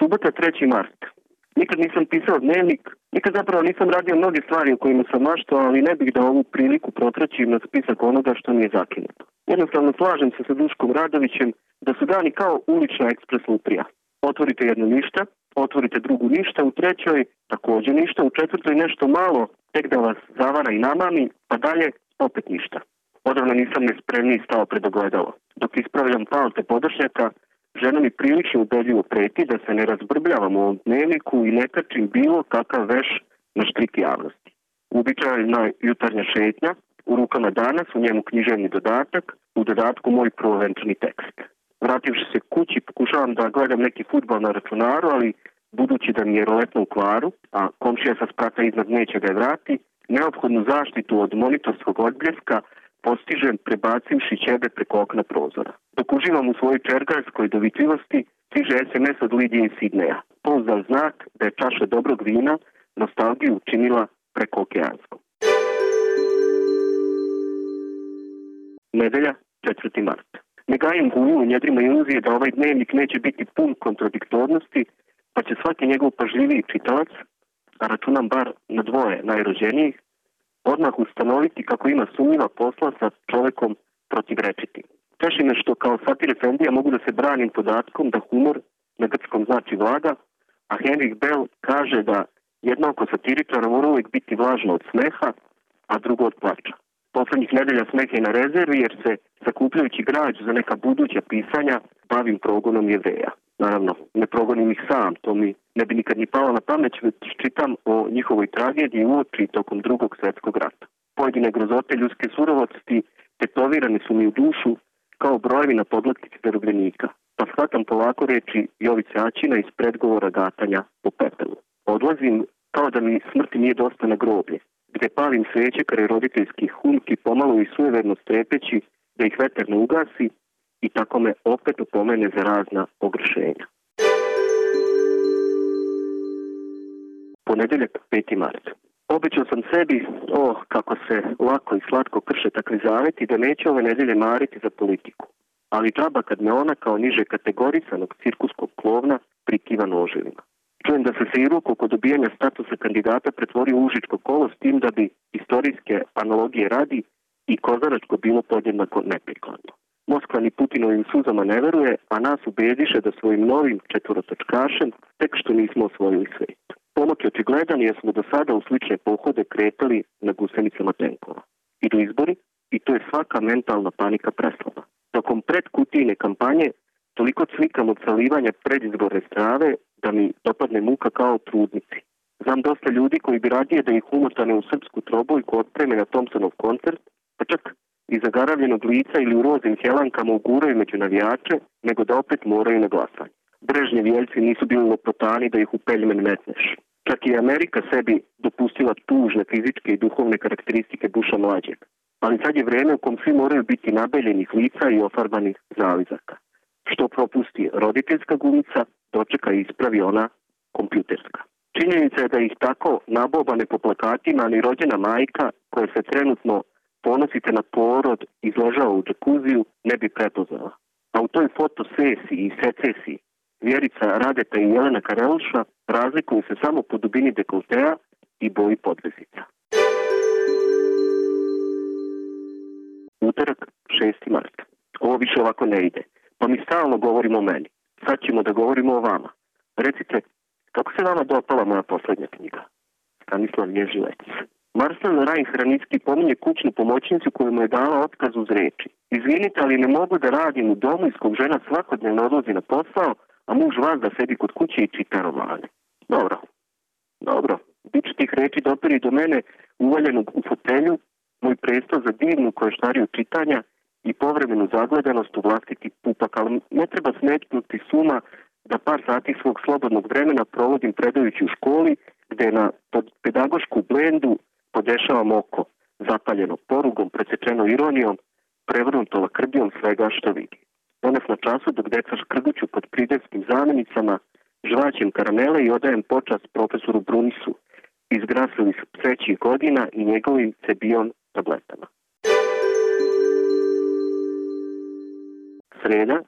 Subota 3. mart. Nikad nisam pisao dnevnik, nikad zapravo nisam radio mnoge stvari o kojima sam maštao, ali ne bih da ovu priliku protraćim na spisak onoga što mi je zakinuto. Jednostavno slažem se sa Duškom Radovićem da su dani kao ulična ekspres lutrija. Otvorite jedno ništa, otvorite drugu ništa, u trećoj također ništa, u četvrtoj nešto malo, tek da vas zavara i namami, pa dalje opet ništa. Odavno nisam nespremniji stao pred ogledalo. Dok ispravljam palte podašnjaka, žena mi prilično ubedljivo preti da se ne razbrbljavam u ovom dnevniku i ne kačim bilo kakav veš na štrik javnosti. Uobičajena jutarnja šetnja, u rukama danas, u njemu književni dodatak, u dodatku moj prvovenčani tekst. Vrativši se kući, pokušavam da gledam neki fudbal na računaru, ali budući da mi je roletno u kvaru, a komšija sa sprata iznad neće ga vrati, neophodnu zaštitu od monitorskog odbljeska postižem prebacivši ćebe preko okna prozora. Dok uživam u svojoj čergarskoj dovitljivosti, stiže SMS od Lidije iz Sidneja. Pouzdan znak da je čaša dobrog vina nostalgiju učinila preko okeanskom. Nedelja, 4. mart. Ne gajim guju u njedrima iluzije da ovaj dnevnik neće biti pun kontradiktornosti, pa će svaki njegov pažljiviji čitalac, a računam bar na dvoje najrođenijih, odmah ustanoviti kako ima sumnjiva posla sa čovekom protivrečitim. Teši me što kao satir efendija mogu da se branim podatkom da humor na grčkom znači vlaga, a Henrik Bell kaže da jedno oko satiričara mora uvijek biti vlažno od smeha, a drugo od plača. Poslednjih nedelja smeh je na rezervi jer se, sakupljajući građ za neka buduća pisanja, bavim progonom Jevreja. Naravno, ne progonim ih sam, to mi ne bi nikad ni palo na pamet, već čitam o njihovoj tragediji uoči tokom Drugog svjetskog rata. Pojedine grozote ljudske surovosti tetovirane su mi u dušu kao brojevi na podlaktici zarobljenika, pa shvatam polako reči Jovice Aćina iz predgovora gatanja po pepelu. Odlazim kao da mi smrti nije dosta na groblje, gde palim sveće kraj roditeljskih humki, pomalo i sujeverno strepeći da ih veter ne ugasi i tako me opet upomene za razna ogrešenja. Ponedeljak, 5. mart. Obećao sam sebi, kako se lako i slatko krše takvi zaveti, da neće ove nedelje mariti za politiku. Ali džaba kad me ona kao niže kategorisanog cirkuskog klovna prikiva noževima. Čujem da se Seiruk oko dobijanja statusa kandidata pretvori u užičko kolo s tim da bi istorijske analogije radi i kozaračko bilo podjednako neprikladno. Moskva ni Putinovim suzama ne veruje, a nas ubediše da svojim novim četvorotočkašem tek što nismo osvojili svijet. Pomak je očigledan jer smo do sada u slične pohode kretali na gusenicama tenkova. Idu izbori i to je svaka mentalna panika preslaba. Tokom predkutijne kampanje toliko cvikam od salivanja predizborne strave da mi dopadne muka kao trudnici. Znam dosta ljudi koji bi radije da ih umotane u srpsku trobojku otpreme na Thompsonov koncert, pa čak i zagaravljenog lica ili u rozim helankama uguraju među navijače, nego da opet moraju na glasanje. Brežnjevi jeljci nisu bili lopotani da ih u peljmen metneš. Čak i Amerika sebi dopustila tužne fizičke i duhovne karakteristike Busha mlađeg. Ali sad je vreme u kom svi moraju biti nabeljenih lica i ofarbanih zalizaka. Što propusti roditeljska gumica, dočeka i ispravi ona kompjuterska. Činjenica je da ih tako nabobane po plakatima ni rođena majka koja se trenutno ponosite na porod izležava u džakuziju ne bi prepoznala. A u toj fotosesiji i secesiji Vjerica Radeta i Jelena Karelša razlikuju se samo po dubini dekoltea i boji podvezica. Utorak, 6. mart. Ovo više ovako ne ide. Pa mi stalno govorimo o meni. Sad ćemo da govorimo o vama. Recite, kako se vama dopala moja poslednja knjiga? Stanislav Ježilec. Marcel Rein-Hranicki pominje kućnu pomoćnicu koju mu je dala otkaz uz reči. Izvinite, ali ne mogu da radim u domu iz kog žena svakodnevno odlazi na posao, a muž vas da sedi kod kuće i čita romane. Dobro. Biće tih reči doperi do mene uvaljenog u fotelju, moj presto za divnu koštariju čitanja i povremenu zagledanost u vlastiti pupak, ali ne treba smetnuti suma da par sati svog slobodnog vremena provodim predajući u školi, gde na pedagošku blendu podešavam oko, zapaljeno porugom, presečeno ironijom, prevrnuto lakrdijom svega što vidi. Danas na času dok deca škrguću pod pridevskim zamjenicama, žvaćem karamele i odajem počast profesoru Brunisu iz grasili su psećih godina i njegovim cebion tabletama. Sreda,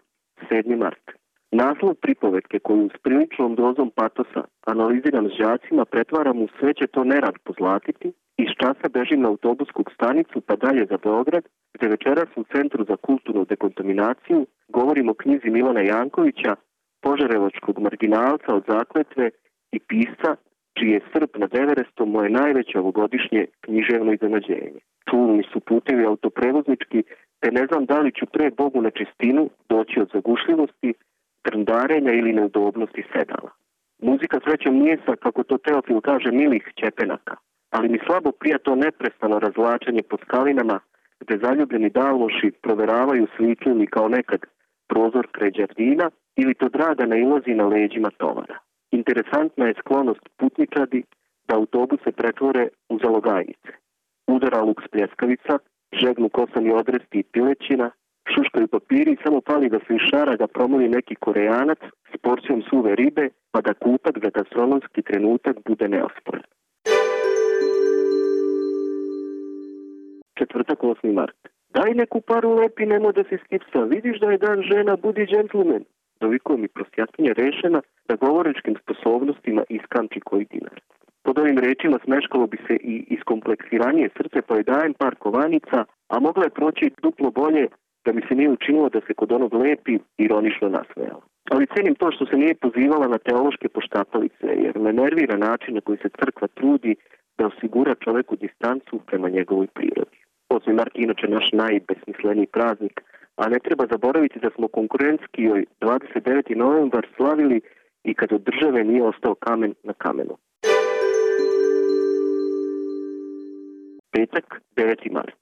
7. mart. Naslov pripovetke koju s priličnom dozom patosa analiziram s đacima pretvaram u sve će to nerad pozlatiti, iz časa bežim na autobusku stanicu pa dalje za Beograd, gde večeras u Centru za kulturnu dekontaminaciju govorim o knjizi Milana Jankovića, požarevačkog marginalca od zakletve i pisca čiji je Srp nad Everestom moje najveće ovogodišnje književno iznenađenje. Čulni su putevi autoprevoznički, te ne znam da li ću pre Bogu na čistinu doći od zagušljivosti, trndarenja ili neudobnosti sedala. Muzika srećom nije sa, kako to Teofil kaže, milih ćepenaka, ali mi slabo prija to neprestano razvlačenje po skalinama gde zaljubljeni dalmoši proveravaju svitlini kao nekad prozor kraj đardina ili to draga nailazi na leđima tovara. Interesantna je sklonost putničadi da autobuse pretvore u zalogajnice. Udara luks pljeskavica, žegnu kosani odresti i pilećina, šuškaju papiri i samo pali da se iz šaraga promoli neki Korejanac s porcijom suve ribe, pa da kutak za gastronomski trenutak bude neosporan. Četvrtak, 8. mart. Daj neku paru lepi, nemo da se skipsa, vidiš da je dan žena, budi džentlmen. Dovikuje mi prostjatkinja rešena da govorečkim sposobnostima iskamči koji dinar. Pod ovim rečima smeškalo bi se i iskompleksiranije srce, pa joj dajem par kovanica, a mogla je proći duplo bolje da mi se nije učinilo da se kod onog lepi ironično nasmejala. Ali cenim to što se nije pozivala na teološke poštapalice, jer me nervira način na koji se crkva trudi da osigura čoveku distancu prema njegovoj prirodi. 8. mart je inače naš najbesmisleniji praznik, a ne treba zaboraviti da smo konkurentski 29. novembar slavili i kad od države nije ostao kamen na kamenu. Petak, 9. mart.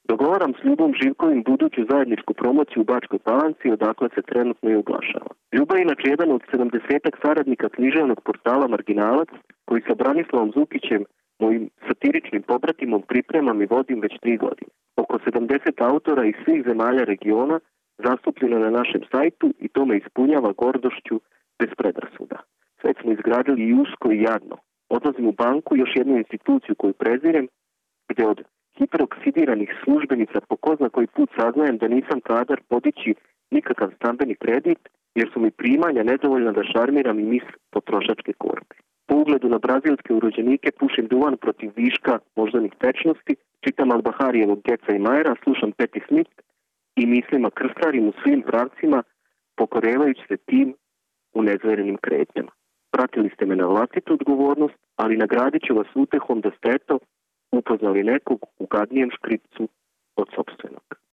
Dogovaram s Ljubom Živkovim buduću zajedničku promociju u Bačkoj Palanci, odakle se trenutno i oglašava. Ljuba je inače jedan od 70-ak saradnika književnog portala Marginalac, koji sa Branislavom Zukićem, mojim satiričnim pobratimom, pripremam i vodim već 3 godine. Oko 70 autora iz svih zemalja regiona zastupljeno na našem sajtu i to me ispunjava gordošću bez predrasuda. Sve smo izgradili i usko i jadno. Odlazim u banku, još jednu instituciju koju prezirem, gde od hiperoksidiranih službenica po ko zna koji put saznajem da nisam kadar podići nikakav stambeni kredit, jer su mi primanja nedovoljna da šarmiram i mis potrošačke korpe. Po ugledu na brazilske urođenike pušim duvan protiv viška moždanih tečnosti, čitam Albaharijevog Geca i Majera, slušam Patti Smith i mislima krstarim u svim pravcima, pokorevajući se tim u nezverenim kretnjama. Pratili ste me na vlastitu odgovornost, ali nagradit ću vas utehom da ste upoznali nekog u gadnijem škripcu od sopstvenog.